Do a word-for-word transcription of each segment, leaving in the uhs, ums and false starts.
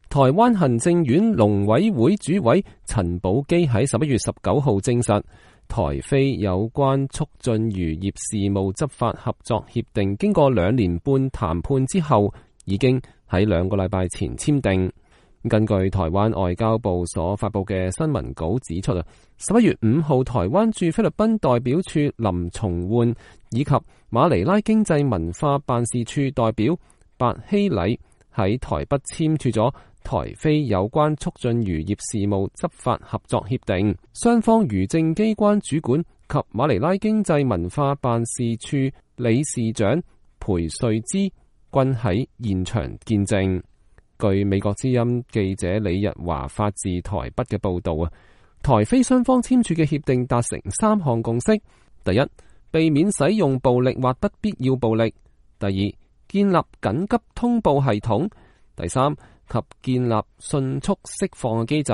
台灣行政院農委會主委陳寶基喺十一月十九號證實，台菲有關促進漁業事務執法合作協定經過兩年半談判之後，已經喺兩個禮拜前簽訂。根據台灣外交部所發佈嘅新聞稿指出啊，十一月五號台灣駐菲律賓代表處林松煥以及馬尼拉經濟文化辦事處代表白希禮喺台北簽署咗台菲有關促進漁業事務執法合作協定，雙方漁政機關主管及馬尼拉經濟文化辦事處理事長裴瑞芝均喺現場見證。據美國之音記者李日華發自台北嘅報道啊，台菲雙方簽署嘅協定達成三項共識：第一，避免使用暴力或不必要暴力；第二，建立緊急通報系統；第三，及建立迅速釋放嘅機制。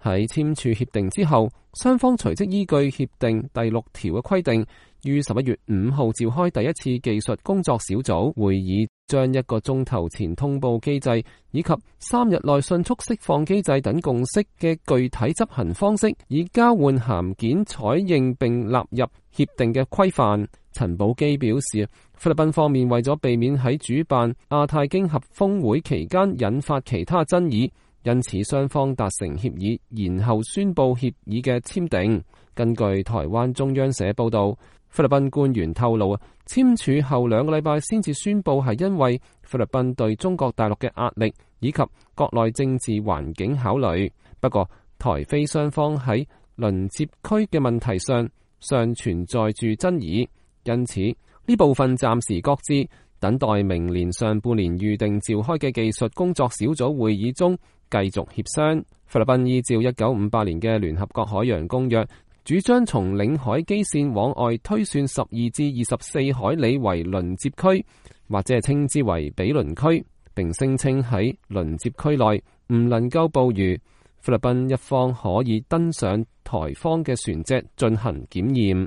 喺簽署協定之後，雙方隨即依據協定第六條嘅規定，於十一月五號召開第一次技術工作小組會議，將一個鐘頭前通報機制以及三日內迅速釋放機制等共識嘅具體執行方式，以交換函件採認並納入協定嘅規範。陳寶基表示，菲律賓方面為咗避免喺主辦亞太經合峰會期間引發其他爭議，因此雙方達成協議，然後宣布協議嘅簽訂。根據台灣中央社報道，菲律賓官員透露啊，簽署後兩個禮拜先至宣布，係因為菲律賓對中國大陸嘅壓力以及國內政治環境考慮。不過，台菲雙方喺鄰接區嘅問題上尚存在住爭議，因此呢部分暫時擱置，等待明年上半年預定召開嘅技術工作小組會議中繼續協商。菲律賓依照一九五八年嘅聯合國海洋公約，主張從領海基線往外推算十二至二十四海里為鄰接區，或者係稱之為毗鄰區，並聲稱喺鄰接區內唔能夠捕魚。菲律賓一方可以登上台方嘅船隻進行檢驗。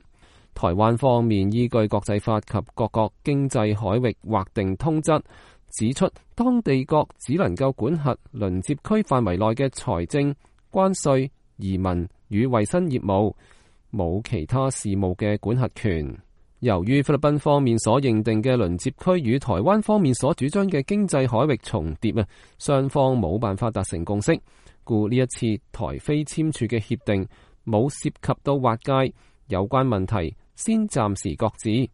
台灣方面依據國際法及各國經濟海域劃定通則，指出當地國只能夠管轄鄰接區範圍內嘅財政、關稅、移民與衛生業務，冇其他事務嘅管轄權。由於菲律賓方面所認定嘅鄰接區與台灣方面所主張嘅經濟海域重疊啊，雙方冇辦法達成共識，故呢一次台菲簽署嘅協定冇涉及到劃界有關問題，先暫時擱置。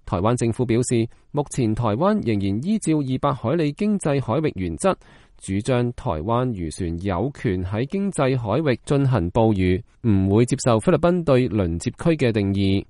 台灣政府表示，目前台灣仍然依照二百海里經濟海域原則，主張台灣漁船有權喺經濟海域進行捕魚，唔會接受菲律賓對鄰接區嘅定義。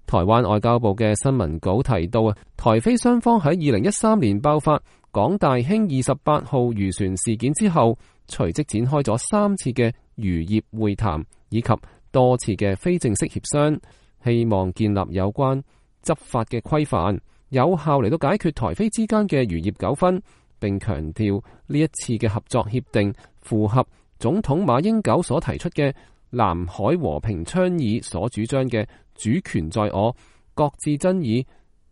台灣外交部嘅新聞稿提到啊，台菲雙方喺二零一三年爆發港大興二十八號漁船事件之後，隨即展開咗三次嘅漁業會談以及多次嘅非正式協商，希望建立有關執法嘅規範，有效嚟到解決台菲之間嘅漁業糾紛，並強調呢一次嘅合作協定符合總統馬英九所提出嘅南海和平倡議所主張嘅主權在我、各自爭議、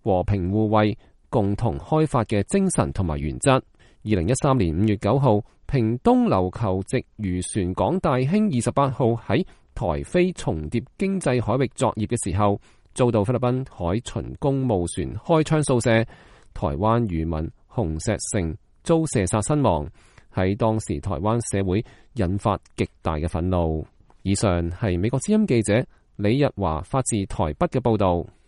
和平互惠、共同開發嘅精神同埋原則。二零一三年五月九號，屏東琉球籍漁船港大興二十八號喺台菲重疊經濟海域作業嘅時候，遭到菲律賓海巡公務船開槍掃射，台灣漁民洪石成遭射殺身亡，喺當時台灣社會引發極大嘅憤怒。以上係美國之音記者李日華發自台北嘅報道。